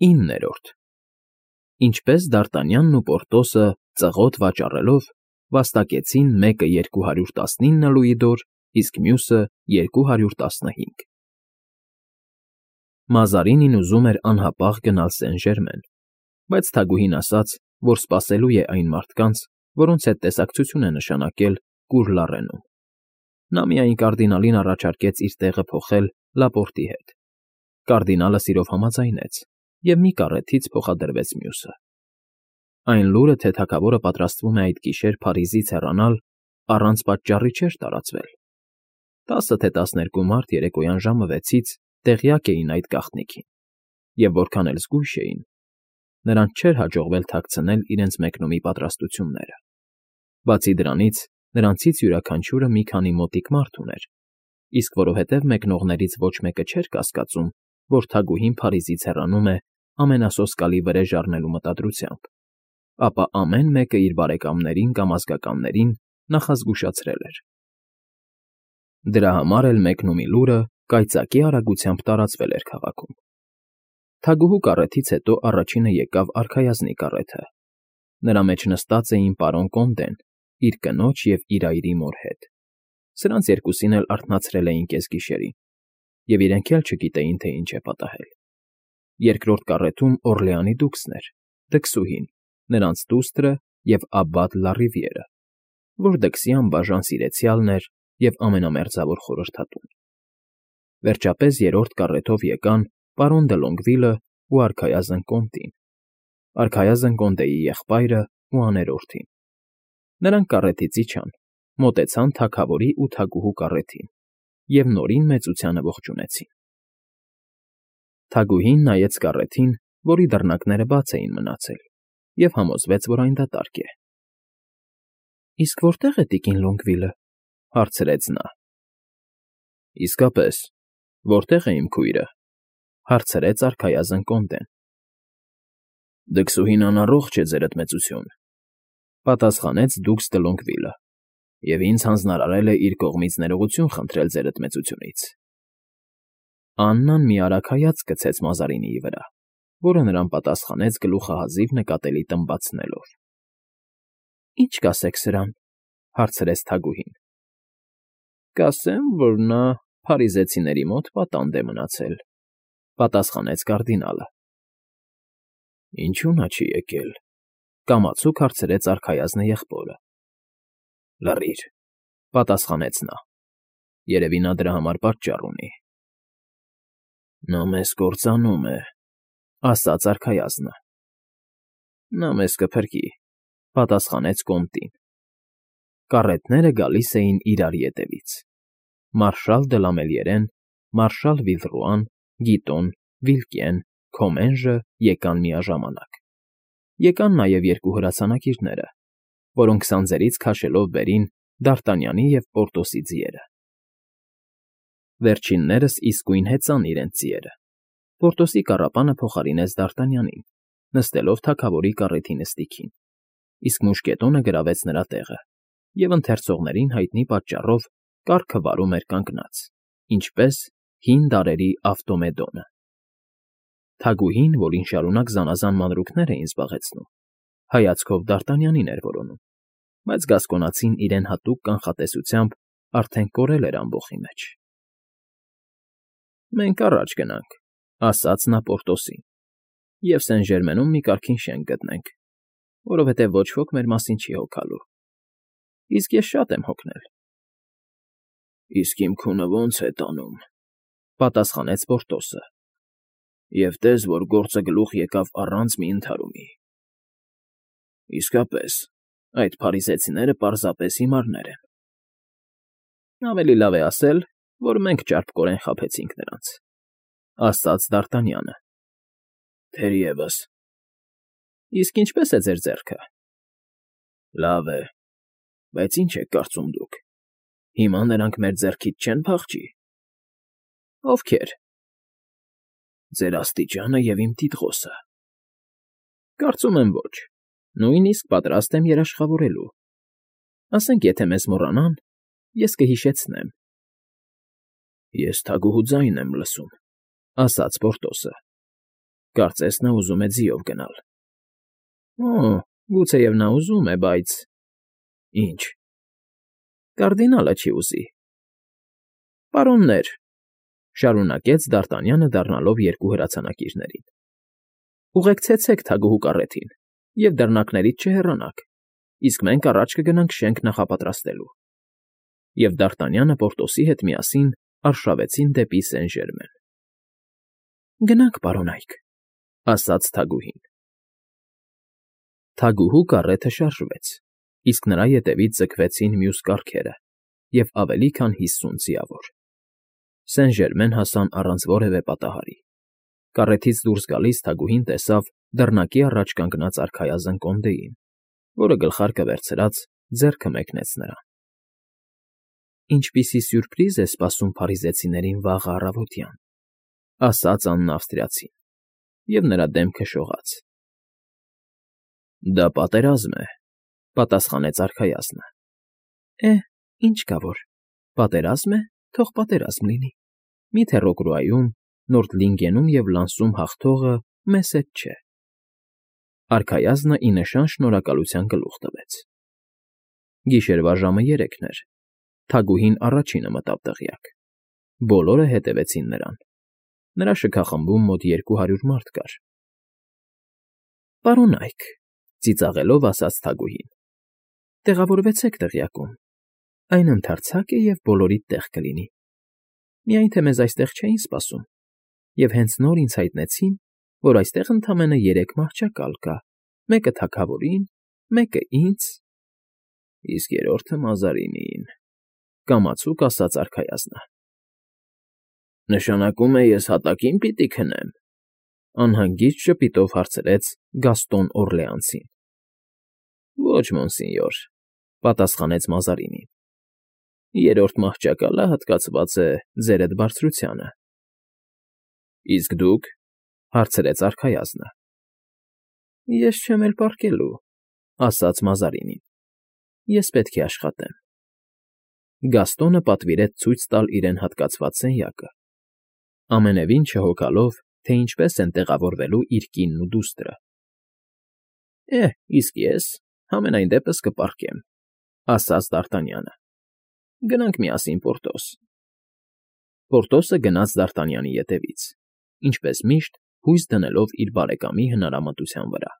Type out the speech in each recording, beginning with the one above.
9-րդ Ինչպես Դարտանյանն ու Պորտոսը, ծղոտ վաճառելով, վաստակեցին մեկը 219 լուիդոր, իսկ մյուսը 215։ Մազարինին ուզում էր անհապաղ գնալ Սեն֊Ժերմեն, բայց թագուհին ասաց, որ սպասելու է այն մարդկանց, որոնց հետ տեսակցություն է նշանակել Կուր Լառենում։ Նա միայն կարդինալին առաջարկեց իր տեղը փոխել Լապորտի հետ։ Կարդինալը սիրով համաձայնեց, և մի կառեթից փոխադրվեց մյուսը։ Այն լուրը, թե թագավորը պատրաստվում է այդ գիշեր Փարիզից հեռանալ, առանց պատճառի չէր տարածվել։ 10 թե 12 մարդ երեկոյան ժամը 6-ից տեղյակ էին այդ գաղտնիքին, և որքան էլ զգույշ էին, նրանց չէր հաջողվել թաքցնել իրենց մեկնումի պատրաստությունները։ Բացի դրանից, նրանցից յուրաքանչյուրը մի քանի մոտիկ մարդ ուներ, իսկ որովհետև մեկնողներից ոչ մեկը չէր կասկածում, որ թագուհին Փարիզից հեռանում է ամենասոսկալի վրեժ առնելու մտադրությամբ, ապա ամեն մեկը իր բարեկամներին կամ ազգականներին նախազգուշացրել էր։ Դրա համար էլ մեկնումի լուրը կայծակի արագությամբ տարածվել էր քաղաքում։ Թագուհու կառեթից հետո առաջինը եկավ արքայազնի կառեթը։ Նրա մեջ նստած էին պարոն Կոնդեն, իր կնոջ և իր այրի մոր հետ։ Սրանց երկուսին էլ արթնացրել էին կեսգիշերին, և իրենք էլ չգիտեին, թե ինչ է պատահել։ Երկրորդ կառեթում Օռլեանի դուքսն էր, դքսուհին, նրանց դուստրը և Աբբատ Լարիվիերը, որ դքսի անբաժան սիրեցյալն էր և ամենամերձավոր խորհրդատուն։ Վերջապես երրորդ կառեթով եկան պարոն դը Լոնգվիլը ու արքայազն Կոնտին, արքայազն Կոնտեի եղբայրը ու աներորդին։ Նրանք կառեթից իջան, մոտեցան թագավորի ու թագուհու կառեթին և նորին մեծությանը ողջունեցին։ Թագուհին նայեց կառեթին, որի դռնակները բաց էին մնացել, և համոզվեց, որ այն դատարկ է։ ֊ Իսկ որտե՞ղ է տիկին Լոնգվիլը,֊ հարցրեց նա։ ֊ Իսկապես, որտե՞ղ է իմ քույրը,֊ հարցրեց արքայազն Կոնդեն։ ֊ Դքսուհին անառողջ է, ձերդ մեծություն,֊ պատասխանեց դուքս դը Լոնգվիլը,֊ և ինձ հանձնարարել է իր կողմից ներողություն խնդրել ձերդ մեծությունից։ Աննան մի արագ հայացք գցեց Մազարինիի վրա, որը նրան պատասխանեց գլուխը հազիվ նկատելի տմբացնելով։ ֊ Ի՞նչ կասեք սրան,֊ հարցրեց թագուհին։ ֊ Կասեմ, որ նա փարիզեցիների մոտ պատանդ է մնացել,֊ պատասխանեց կարդինալը։ ֊ Ինչո՞ւ նա չի եկել,֊ կամացուկ հարցրեց արքայազնը եղբորը։ ֊ Լռիր,֊ պատասխանեց նա։ Երևի նա դրա համար պատճառ ունի։ ֊ Նա մեզ կործանում է,֊ ասաց արքայազնը։ ֊ Նա մեզ կփրկի,֊ պատասխանեց Կոնտին։ Կառետները գալիս էին իրար ետևից. մարշալ դը Լամելիերեն, մարշալ Վիլռուան, Գիտոն, Վիլկեն, Քոմենժը եկան միաժամանակ։ Եկան նաև երկու հրացանակիրները, որոնք սանձերից քաշելով բերին Դարտանյանի և Պորտոսի ձիերը։ Վերջիններս իսկույն հեծան իրենց ձիերը։ Պորտոսի կառապանը փոխարինեց Դարտանյանին, նստելով թագավորի կառեթի նստիքին, իսկ մուշկետոնը գրավեց նրա տեղը, և ընթերցողներին հայտնի պատճառով կառքը վարում էր կանգնած, ինչպես հին դարերի Ավտոմեդոնը։ Թագուհին, որին շարունակ զանազան մանրուքներ էին զբաղեցնում, հայացքով Դարտանյանին էր որոնում, բայց Գասկոնացին իրեն հատուկ կանխատեսությամբ արդեն կորել էր ամբոխի մեջ։ ֊ Մենք առաջ գնանք,֊ ասաց նա Պորտոսին,֊ և Սեն֊Ժերմենում մի կարգին շենք գտնենք, որովհետև ոչ ոք մեր մասին չի հոգալու։ Իսկ ես շատ եմ հոգնել։ ֊ Իսկ իմ քունը ո՞նց է տանում,֊ պատասխանեց Պորտոսը,֊ և տես, որ գործը գլուխ եկավ առանց մի ընդհարումի։ ֊ Իսկապես, այդ փարիզեցիները պարզապես հիմարներ են։ ֊ Ավելի լավ է ասել, որ մենք ճարպկորեն խաբեցինք նրանց,֊ ասաց Դարտանյանը։ ֊ Թերևս։ ֊ Իսկ ինչպե՞ս է ձեր ձեռքը։ ֊ Լավ է, բայց ի՞նչ եք կարծում դուք, հիմա նրանք մեր ձեռքից չեն փախչի։ ֊ Ովքե՞ր։ ֊ Ձեր աստիճանը և իմ տիտղոսը։ ֊ Կարծում եմ ոչ, նույնիսկ պատրաստ եմ երաշխավորելու։ Ասենք, եթե մեզ մոռանան, ես կհիշեցնեմ։ ֊ Ես թագուհու ձայնն եմ լսում,֊ ասաց Պորտոսը։ Կարծես նա ուզում է ձիով գնալ։ Օ, գուցեև նա ուզում է, բայց… Ինչ… Կարդինալը չի ուզի։ Պարոններ,֊ շարունակեց Դ'Արտանյանը, դառնալով երկու հրացանակիրներին,֊ ուղեկցեցեք թագուհու կառեթին և դռնակներից չհեռանաք, իսկ մենք առաջ կգնանք շենք նախապատրաստելու։ Եվ Դ'Արտանյանը Պորտոսի հետ միասին արշավեցին դեպի Սեն֊Ժերմեն։ Գնանք, պարոնայք,֊ ասաց թագուհին։ Թագուհու կառեթը շարժվեց, իսկ նրա ետևից ձգվեցին մյուս կառքերը և ավելի քան 50 ձիավոր։ Սեն֊Ժերմեն հասան առանց որևէ պատահարի։ Կառեթից դուրս գալիս թագուհին տեսավ դռնակի առաջ կանգնած արքայազն կոնդեին, որը գլխարկը վերցրած ձեռքը մեկնեց նրան։ Ինչպիսի սյուրպրիզ է սպասում փարիզեցիներին վաղը առավոտյան,֊ ասաց Աննա Ավստրիացին, և նրա դեմքը շողաց։ Դա պատերազմ է,֊ պատասխանեց արքայազնը։ Ինչ կա որ, պատերազմ է, թող պատերազմ լինի, միթե Ռոկրուայում, Նորդլինգենում և Լանսում հաղթողը մեզ հետ չէ։ Արքայազնը ի նշան շնորհակալության գլուխ տվեց։ Գիշերվա ժամը 3 էր։ Թագուհին առաջինը մտավ դղյակ։ Բոլորը հետևեցին նրան։ Նրա շքախմբում մոտ 200 մարդ կար։ Պարոնայք,֊ ծիծաղելով ասաց թագուհին,֊ տեղավորվեցեք դղյակում, այն ընդարձակ է և բոլորիդ տեղ կլինի։ Միայն թե մեզ այստեղ չէին սպասում, և հենց նոր ինձ հայտնեցին, որ այստեղ ընդամենը 3 մահճակալ կա, մեկը թագավորին, մեկը ինձ… Իսկ երրորդը Մազարինին,֊ կամացուկ ասաց արքայազնը։ Նշանակում է ես հատակին պիտի քնեմ,֊ անհանգիստ ժպիտով հարցրեց Գաստոն Օռլեանցին։ Ոչ, մոնսինյոր,֊ պատասխանեց Մազարինին։ Երրորդ մահճակալը հատկացված է ձերդ բարձրությանը։ Իսկ դուք,֊ հարցրեց արքայազնը։ Ես չեմ էլ պառկելու,֊ ասաց Մազարինին։ Ես պետք է աշխատեմ։ Գաստոնը պատվիրեց ցույց տալ իրեն հատկացված սենյակը, ամենևին չհոգալով, թե ինչպես են տեղավորվելու իր կինն ու դուստրը։ Իսկ ես համենայն դեպս կպառկեմ,֊ ասաց Դ'Արտանյանը։ Գնանք միասին Պորտոս։ Պորտոսը գնաց Դ'Արտանյանի ետևից, ինչպես միշտ հույս դնելով իր բարեկամի հնարամտության վրա։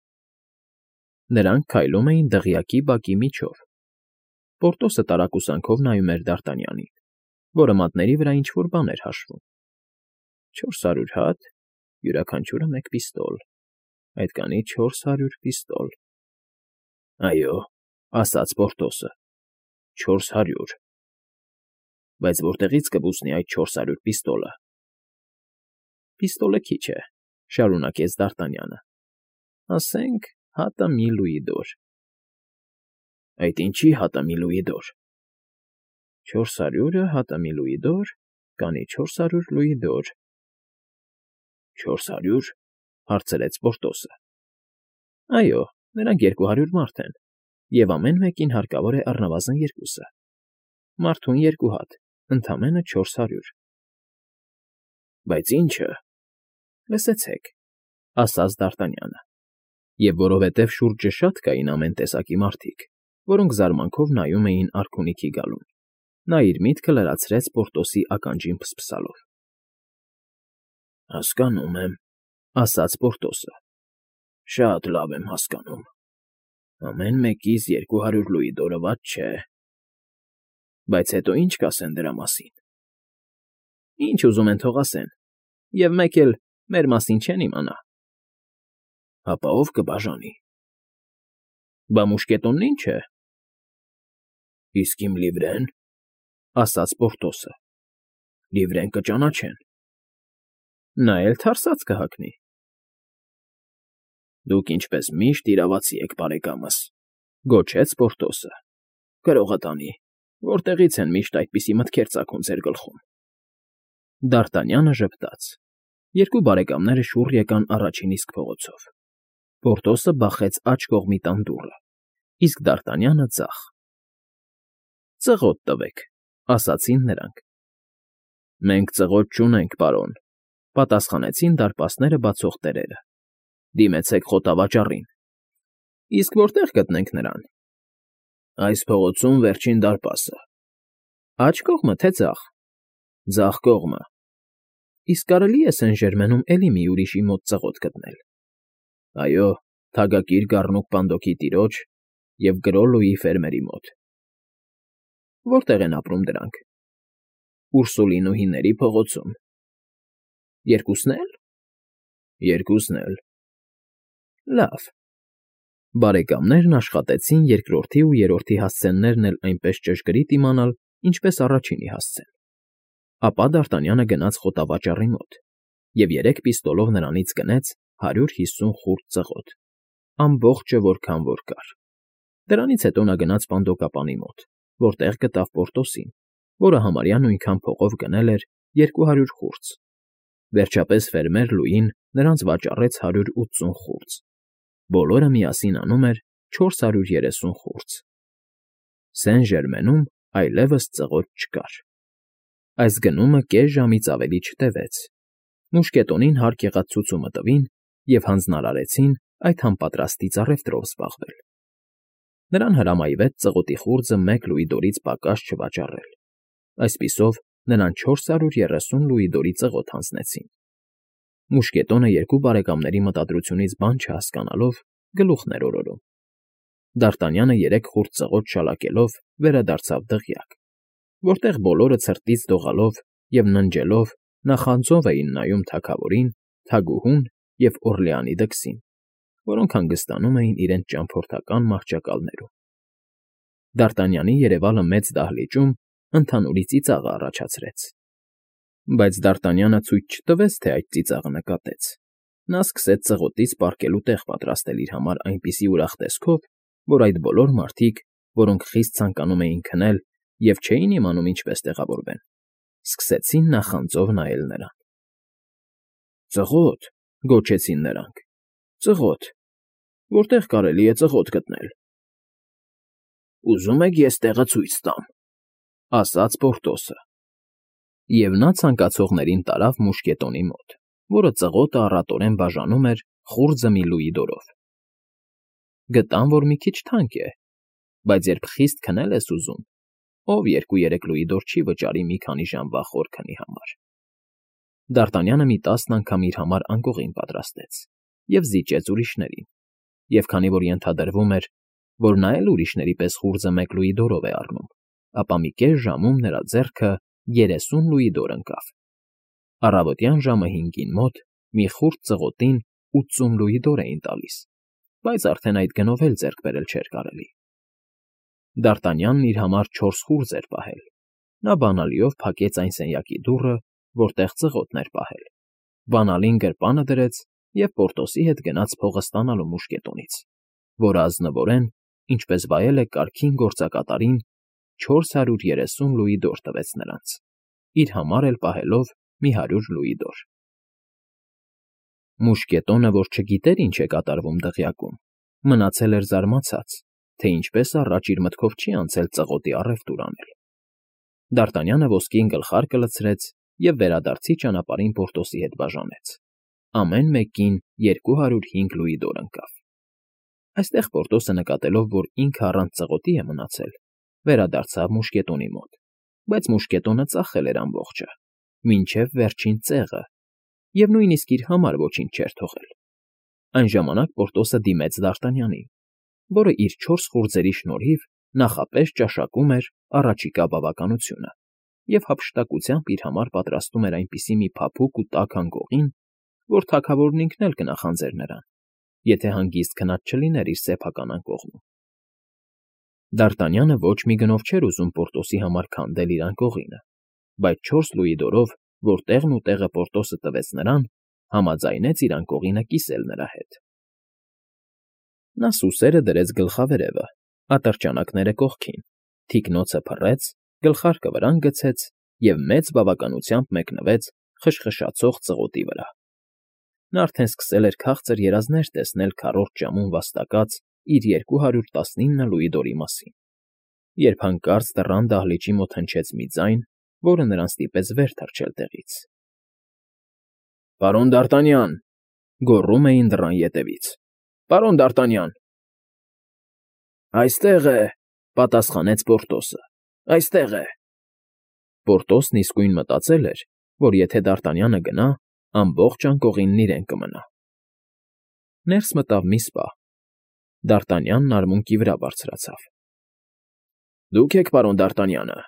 Նրանք քայլում էին դղյակի բակի միջով։ Պորտոսը տարակուսանքով նայում էր Դ'Արտանյանին, որը մատների վրա ինչ֊որ բան էր հաշվում։ 400 հատ, յուրաքանչյուրը 1 պիստոլ, այդ կանի 400 պիստոլ։ Այո,֊ ասաց Պորտոսը,֊ 400… Բայց որտեղից կբուսնի այդ 400 պիստոլը։ Պիստոլը քիչ է,֊ շարունակեց Դ'Արտանյանը,֊ ասենք հատը մի լուիդոր։ Այդ ինչի՞ հատը մի լուիդոր։ 400-ը հատը մի լուիդոր, կանի 400 լուիդոր։ 400,֊ հարցրեց Պորտոսը։ Այո, նրանք 200 մարդ են, և ամեն մեկին հարկավոր է առնվազն 2-ը։ Մարդուն 2 հատ, ընդամենը 400։ Բայց ի՞նչը։ Լսեցեք,֊ ասաց Դ'Արտանյանը, և որովհետև շուրջը շատ կային ամեն տեսակի մարդիկ, որոնք զարմանքով նայում էին արքունիքի գալուն, նա իր միտքը լրացրեց Պորտոսի ականջին փսփսալով։ Հասկանում եմ,֊ ասաց Պորտոսը,֊ շատ լավ եմ հասկանում։ Ամեն մեկից 200 լուիդորը վատ չէ։ Բայց հետո ի՞նչ կասեն դրա մասին։ Ինչ ուզում են թող ասեն, և մեկ էլ մեր մասին չեն իմանա։ Հապա ո՞վ կբաժանի։ Բա մուշկետոնն ի՞նչ է։ Իսկ իմ լիվրեն,֊ ասաց Պորտոսը,֊ լիվրեն կճանաչեն։ Նա էլ թարսած կհագնի։ Դուք ինչպես միշտ իրավացի եք, բարեկամս,֊ գոչեց Պորտոսը։ Կարողա տանի, որտեղից են միշտ այդպիսի մտքեր ծագում ձեր գլխում։ Դ'Արտանյանը ժպտաց։ Երկու բարեկամները շուռ եկան առաջին իսկ փողոցով։ Պորտոսը բախեց աջ կողմի տան դուռը, իսկ Դ'Արտանյանը՝ ձախ։ Ծղոտ տվեք,֊ ասացին նրանք։ Մենք ծղոտ չունենք, պարոն,֊ պատասխանեցին դարպասները բացող տերերը։ Դիմեցեք խոտավաճառին։ Իսկ որտե՞ղ գտնենք նրան։ Այս փողոցում վերջին դարպասը։ Աջ կողմը, թե ձախ։ Ձախ կողմը։ Իսկ կարելի է Սեն֊Ժերմենում էլի մի ուրիշի մոտ ծղոտ գտնել։ Այո, թագակիր Գառնուկ Պանդոկի տիրոջ և Գրոլլուի ֆերմերի մոտ։ Որտե՞ղ են ապրում դրանք։ Ուրսուլինուհիների փողոցում։ Երկուսն էլ։ Երկուսն էլ։ Լավ։ Բարեկամներն աշխատեցին երկրորդի ու երրորդի հասցեններն էլ այնպես ճշգրիտ իմանալ, ինչպես առաջինի հասցեն։ Ապա Դարտանյանը գնաց խոտավաճառի մոտ և 3 պիստոլով նրանից գնեց 150 խուրձ ծղոտ, ամբողջը որքան որ կար։ Դրանից հետո նա գնաց պանդոկապանի մոտ, որտեղ գտավ Պորտոսին, որը համարյա նույնքան փողով գնել էր 200 խուրձ։ Վերջապես ֆերմեր Լուին նրանց վաճառեց 180 խուրձ։ Բոլորը միասին անում էր 430 խուրձ։ Սեն֊Ժերմենում այլևս ծղոտ չկար։ Այս գնումը կես ժամից ավելի չտևեց։ Մուշկետոնին հարկ եղած ցուցումը տվին և հանձնարարեցին այդ համապատրաստից առևտրով զբաղվել։ Նրան հրամայվեց ծղոտի խուրձը 1 լուիդորից պակաս չվաճառել։ Այսպիսով նրան 430 լուիդորի ծղոտ հանձնեցին։ Մուշկետոնը երկու բարեկամների մտադրությունից բան չհասկանալով գլուխն էր օրորում։ Դարտանյանը 3 խուրձ ծղոտ շալակելով վերադարձավ դղյակ, որտեղ բոլորը ցրտից դողալով և ննջելով նախանձով էին նայում թագավորին, թագուհուն և Օռլեանի դքսին, որոնք հանգստանում էին իրենց ճամփորդական մահճակալներում։ Դարտանյանի երևալը մեծ դահլիճում ընդհանուրի ծիծաղը առաջացրեց։ Բայց Դարտանյանը ցույց չտվեց, թե այդ ծիծաղը նկատեց։ Նա սկսեց ծղոտից պառկելու տեղ պատրաստել իր համար այնպիսի ուրախ տեսքով, որ այդ բոլոր մարդիկ, որոնք խիստ ցանկանում էին քնել և չէին իմանում ինչպես տեղավորվեն, սկսեցին նախանձով նայել նրան։ Ծղոտ,֊ գոչեցին նրանք,֊ ծղոտ… Որտեղ կարելի է ծղոտ գտնել։ Ուզում եք ես տեղը ցույց տամ,֊ ասաց Պորտոսը։ Եվ նա ցանկացողներին տարավ մուշկետոնի մոտ, որը ծղոտը առատորեն բաժանում էր խուրձը մի լուիդորով։ Գտան, որ մի քիչ թանկ է, բայց երբ խիստ քնել ես ուզում, ով 2-3 լուիդոր չի վճարի մի քանի ժամվա խոր քնի համար։ Դարտանյանը մի 10 անգամ իր համար անկողին պատրաստեց և զիջեց ուրիշներին, և քանի որ ենթադրվում էր, որ նա էլ ուրիշների պես խուրձը 1 լուիդորով է առնում, ապա մի կես ժամում նրա ձեռքը 30 լուիդոր ընկավ։ Առավոտյան ժամը 5-ին մոտ մի խուրձ ծղոտին 80 լուիդոր էին տալիս, բայց արդեն այդ գնով էլ ձեռք բերել չէր կարելի։ Դարտանյանն իր համար 4 խուրձ էր պահել։ Նա բանալիով փակեց այն սենյակի դուռը, որտեղ ծղոտն էր պահել, բանալին գրպանը դրեց և Պորտոսի հետ գնաց փողը ստանալու մուշկետոնից, որը ազնվորեն, ինչպես վայել է կարգին գործակատարին, 430 լուիդոր տվեց նրանց, իր համար էլ պահելով մի 100 լուիդոր։ Մուշկետոնը, որ չգիտեր ինչ է կատարվում դղյակում, մնացել էր զարմացած, թե ինչպես առաջ իր մտքով չի անցել ծղոտի առևտուր անել։ Դարտանյանը ոսկին գլխարկը լցրեց և վերադարձի ճանապարհին Պորտոսի հետ բաժանեց։ Ամեն մեկին 205 լուիդոր ընկավ։ Այստեղ Պորտոսը նկատելով, որ ինքը առանց ծղոտի է մնացել, վերադարձավ մուշկետոնի մոտ, բայց մուշկետոնը ծախել էր ամբողջը, մինչև վերջին ծեղը, և նույնիսկ իր համար ոչինչ չէր թողել։ Այն ժամանակ Պորտոսը դիմեց Դարտանյանին, որը իր 4 խուրձերի շնորհիվ նախապես ճաշակում էր առաջիկա բավականությունը և հափշտակությամբ իր համար պատրաստում էր այնպիսի մի փափուկ ու տաք անկողին, որ թագավորն ինքն էլ կնախանձեր նրան, եթե հանգիստ քնած չլիներ իր սեփական անկողնում։ Դարտանյանը ոչ մի գնով չէր ուզում Պորտոսի համար քանդել իր անկողինը, բայց 4 լուիդորով, որ տեղն ու տեղը Պորտոսը տվեց նրան, համաձայնեց իր անկողինը կիսել նրա հետ։ Նա սուսերը դրեց գլխավերևը, ատրճանակները կողքին, թիկնոցը փռեց, գլխարկը վրան գցեց և մեծ բավականությամբ մեկնվեց խշխշացող ծղոտի վրա։ Նա արդեն սկսել էր քաղցր երազներ տեսնել քառորդ ժամում վաստակած իր 219 լուիդորի մասին, երբ հանկարծ դռան դահլիճի մոտ հնչեց մի ձայն, որը նրան ստիպեց վեր թռչել տեղից։ Պարոն Դարտանյան,֊ գոռում էին դռան ետևից. «Պարոն Դ'Արտանյան»։ «Այստեղ է,֊ պատասխանեց Պորտոսը,֊ այստեղ է»։ Պորտոսն իսկույն մտածել էր, որ եթե Դ'Արտանյանը գնա, ամբողջ անկողինն իրեն կմնա։ Ներս մտավ մի սպա։ Դ'Արտանյանն արմունկի վրա բարձրացավ։ «Դուք եք պարոն Դ'Արտանյանը,֊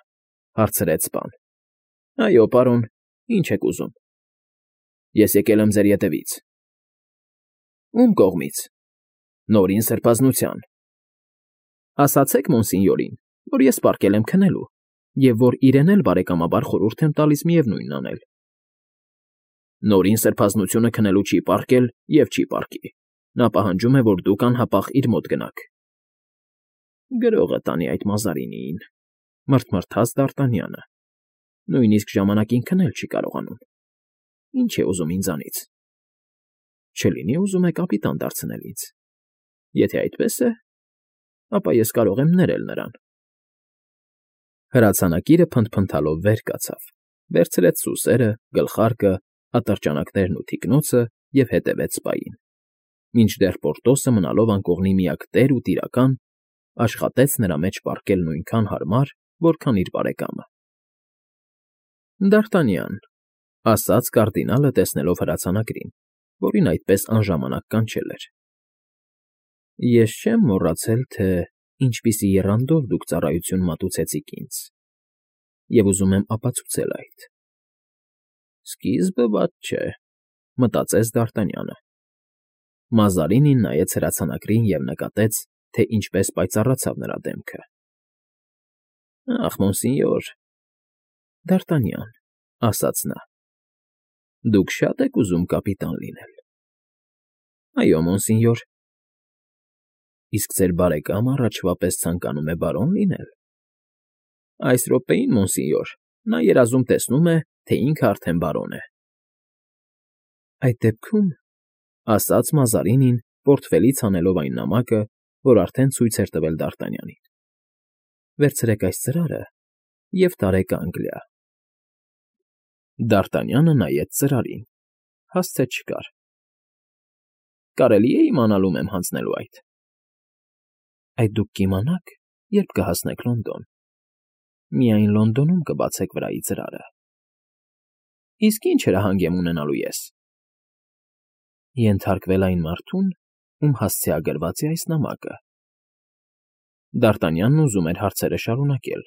հարցրեց սպան։ «Այո, պարոն, ինչ եք ուզում»։ «Ես եկել եմ ձեր ետևից»։ «Ում կողմից»։ «Նորին սրբազնության»։ «Ասացեք մոնսինյորին, որ ես պառկել եմ քնելու, և որ իրեն էլ բարեկամաբար խորհուրդ եմ տալիս միևնույնն անել»։ «Նորին սրբազնությունը քնելու չի պառկել և չի պառկի. նա պահանջում է, որ դուք անհապաղ իր մոտ գնաք»։ «Գրողը տանի այդ Մազարինիին,֊ մռթմռթաց Դ'Արտանյանը,֊ նույնիսկ ժամանակին քնել չի կարողանում։ Ինչ է ուզում ինձանից։ Չլինի ուզում է կապիտան դարձնել ինձ։ Եթե այդպես է, ապա ես կարող եմ ներել նրան»։ Հրացանակիրը փնթփնթալով վեր կացավ, վերցրեց սուսերը, գլխարկը, ատրճանակներն ու թիկնոցը և հետևեց սպային, մինչդեռ Պորտոսը, մնալով անկողնի միակ տեր ու տիրակալ, աշխատեց նրա մեջ պառկել նույնքան հարմար, որքան իր բարեկամը։ «Դ'Արտանյան,֊ ասաց կարդինալը, տեսնելով հրացանակրին, որին այդպես անժամանակ կանչել էր,֊ ես չեմ մոռացել, թե ինչպիսի եռանդով դուք ծառայություն մատուցեցիք ինձ, և ուզում եմ ապացուցել այդ»։ «Սկիզբը վատ չէ,֊ մտածեց Դ'Արտանյանը։ Մազարինին նայեց հրացանակրին և նկատեց, թե ինչպես պայծառացավ նրա դեմքը։ «Ախ, մոնսինյոր…֊ Դ'Արտանյան,֊ ասաց նա,֊ դուք շա՞տ եք ուզում կապիտան լինել»։ «Այո, մոնսինյոր»։ «Իսկ ձեր բարեկամը առաջվա պես ցանկանում է բարոն լինել»։ «Այս րոպեին, մոնսինյոր, նա երազում տեսնում է, թե ինքը արդեն բարոն է»։ «Այդ դեպքում,֊ ասաց Մազարինին, պորտֆելից հանելով այն նամակը, որ արդեն ցույց էր տվել Դ'Արտանյանին,֊ վերցրեք այս ծրարը և տարեք Անգլիա»։ Դ'Արտանյանը նայեց ծրարին, հասցե չկար։ «Կարելի է իմանալ ում եմ հանձնելու այդ»։ «Այդ դուք կիմանաք, երբ կհասնեք Լոնդոն։ Միայն Լոնդոնում կբացեք վրայի ծրարը»։ «Իսկ ի՞նչ հրահանգ եմ ունենալու ես»։ «Ենթարկվել այն մարդուն, ում հասցեագրված է այս նամակը»։ Դ'Արտանյանն ուզում էր հարցերը շարունակել,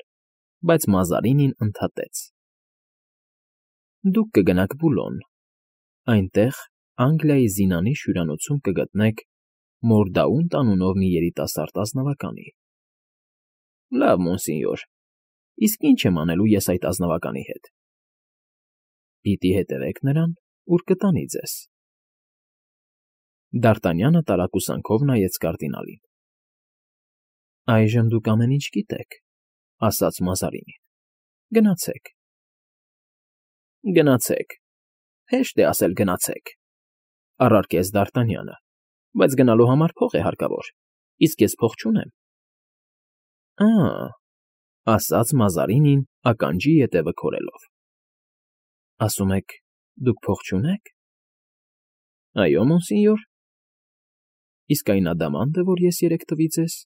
բայց Մազարինին ընդհատեց. «Դուք կգնաք Բուլոն, այնտեղ Անգլիայի զինանիշ հյուրանոցում կգտնեք Մորդաունտ անունով մի երիտասարդ ազնվականի»։ «Լավ, մոնսինյոր, իսկ ի՞նչ եմ անելու ես այդ ազնվականի հետ»։ «Պիտի հետևեք նրան, ուր կտանի ձեզ»։ Դ'Արտանյանը տարակուսանքով նայեց կարդինալին։ «Այժմ դուք ամեն ինչ գիտեք,֊ ասաց Մազարինին։ Գնացեք»։ «Գնացեք, հեշտ է ասել գնացեք,֊ առարկեց Դ'Արտանյանը,֊ բայց գնալու համար փող է հարկավոր, իսկ ես փող չունեմ»։ «Ա՜,֊ ասաց Մազարինին ականջի ետևը քորելով,֊ ասում եք, դուք փող չունեք»։ «Այո, մոնսինյոր»։ «Իսկ այն ադամանդը, որ ես երեկ տվի ձեզ,֊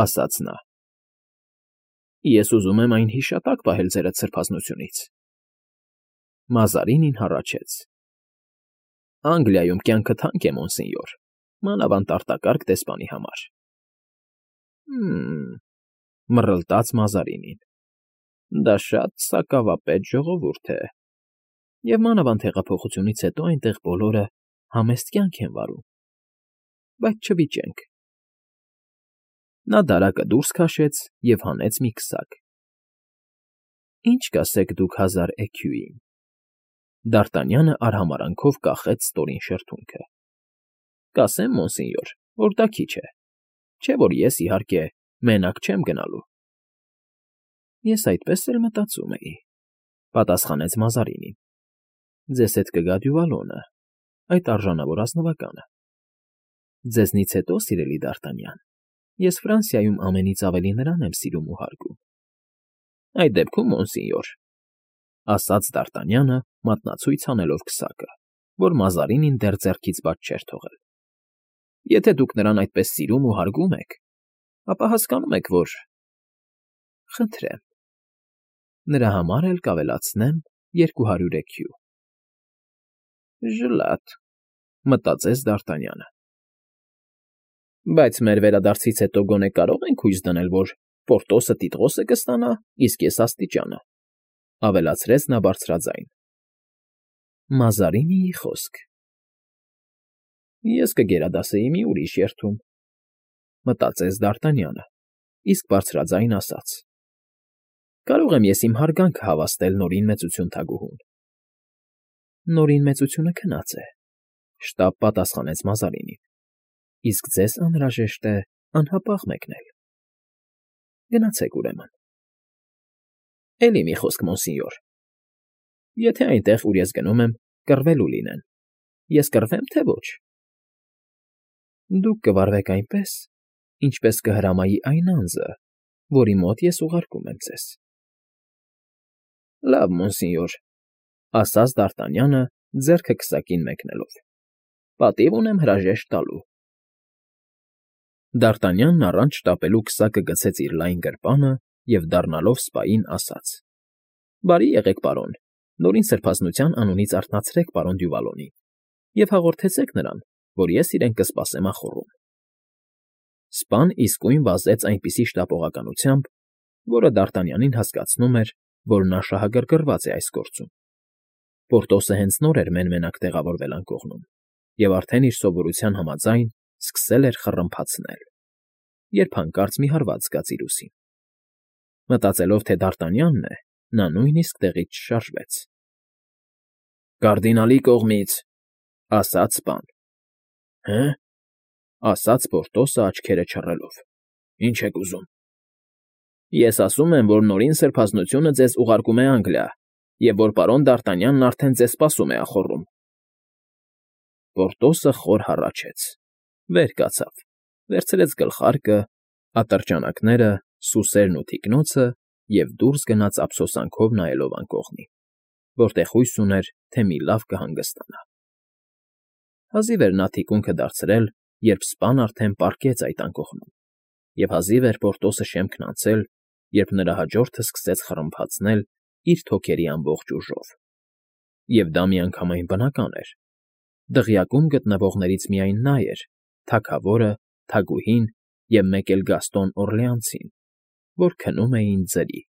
ասաց նա,֊ ես ուզում եմ այն հիշատակ պահել ձերդ սրբազնությունից»։ Մազարինին հառաչեց. «Անգլիայում կյանքը թանկ է, մոնսինյոր, մանավանդ արտակարգ դեսպանի համար»։ «Հը՜մ,֊ մռլտաց Մազարինին,֊ դա շատ սակավապետ ժողովուրդ է, և մանավանդ հեղափոխությունից հետո այնտեղ բոլորը համեստ կյանք են վարում, բայց չվիճենք»։ Նա դարակը դուրս քաշեց և հանեց մի քսակ։ «Ի՞նչ կասեք դուք 1000 էքյուին»։ Դ'Արտանյանը արհամարհանքով կախեց ստորին շրթունքը։ «Կասեմ, մոնսինյոր, որ դա քիչ է, չէ՞ որ ես, իհարկե, մենակ չեմ գնալու»։ «Ես այդպես էլ մտածում էի,֊ պատասխանեց Մազարինին,֊ ձեզ հետ կգա Դյուվալոնը, այդ արժանավոր ազնվականը։ Ձեզնից հետո, սիրելի Դ'Արտանյան, ես Ֆրանսիայում ամենից ավելի նրան եմ սիրում ու հարգում»։ «Այդ դեպքում, մոնսինյոր», ասաց Դ'Արտանյանը, մատնացույց անելով քսակը, որ Մազարինին դեռ ձեռքից բաց չէր թողել։ Եթե դուք նրան այդպես սիրում ու հարգում եք, ապա հասկանում եք, որ… Խնդրեմ, նրա համար էլ կավելացնեմ 200 EQ։ Ժլատ, մտածեց Դ'Արտանյանը։ Բայց մեր վերադարձից հետո գոնե կարող ենք հույս դնել, որ Պորտոսը տիտղոսը կստանա, իսկ ես աստիճանը, ավելացրեց նա բարձրաձայն։ Մազարինիի խոսք։ Ես կգերադասեի մի ուրիշ երթում, մտածեց Դ'Արտանյանը, իսկ բարձրաձայն ասաց. Կարող եմ ես իմ հարգանքը հավաստել Նորին Մեծություն թագուհուն։ Նորին Մեծությունը քնած է, շտապ պատասխանեց Մազարինին, իսկ ձեզ անհրաժեշտ է անհապաղ մեկնել։ Գնացեք ուրեմն։ Էլի մի խոսք, մոնսինյոր. եթե այնտեղ, ուր ես գնում եմ, կռվելու լինեն, ես կռվեմ, թե ոչ։ Դուք կվարվեք այնպես, ինչպես կհրամայի այն անձը, որի մոտ ես ուղարկում եմ ձեզ։ Լավ, մոնսինյոր, ասաց Դ'Արտանյանը, ձեռքը քսակին մեկնելով։ Պատիվ ունեմ հրաժեշտ տալու։ Դ'Արտանյանն առանց շտապելու քսակը գցեց իր լայն գրպանը և, դառնալով սպային, ասաց. Բարի եղեք, պարոն, Նորին Սրբազնության անունից արթնացրեք պարոն Դյուվալոնին և հաղորդեցեք նրան, որ ես իրեն կսպասեմ ախոռում։ Սպան իսկույն վազեց այնպիսի շտապողականությամբ, որը Դ'Արտանյանին հասկացնում էր, որ նա շահագրգռված է այս գործում։ Պորտոսը հենց նոր էր մեն֊մենակ տեղավորվել անկողնում և արդեն իր սովորության համաձայն սկսել էր խռմփացնել, երբ հանկարծ մի հարված զգաց իր ուսին։ Մտածելով, թե Դ'Արտանյանն է, նա նույնիսկ տեղից չշարժվեց։ Կարդինալի կողմից, ասաց սպան։ Հը՞, ասաց Պորտոսը աչքերը չռելով։ Ինչ եք ուզում։ Ես ասում եմ, որ Նորին Սրբազնությունը ձեզ ուղարկում է Անգլիա, և որ պարոն Դ'Արտանյանն արդեն ձեզ սպասում է ախոռում։ Պորտոսը խոր հառաչեց, վեր կացավ, վերցրեց գլխարկը, ատրճանակները, սուսերն ու թիկնոցը և դուրս գնաց ափսոսանքով նայելով անկողնին, որտեղ հույս ուներ, թե մի լավ կհանգստանա։ Հազիվ էր նա թիկունքը դարձրել, երբ սպան արդեն պառկեց այդ անկողնում, և հազիվ էր Պորտոսը շեմքն անցել, երբ նրա հաջորդը սկսեց խռմփացնել իր թոքերի ամբողջ ուժով։ Եվ դա միանգամայն բնական էր։ Դղյակում գտնվողներից միայն նա էր, թագավորը, թագուհին և մեկ էլ Գաստոն Օրլեանցին, որ քնում էին ձրի։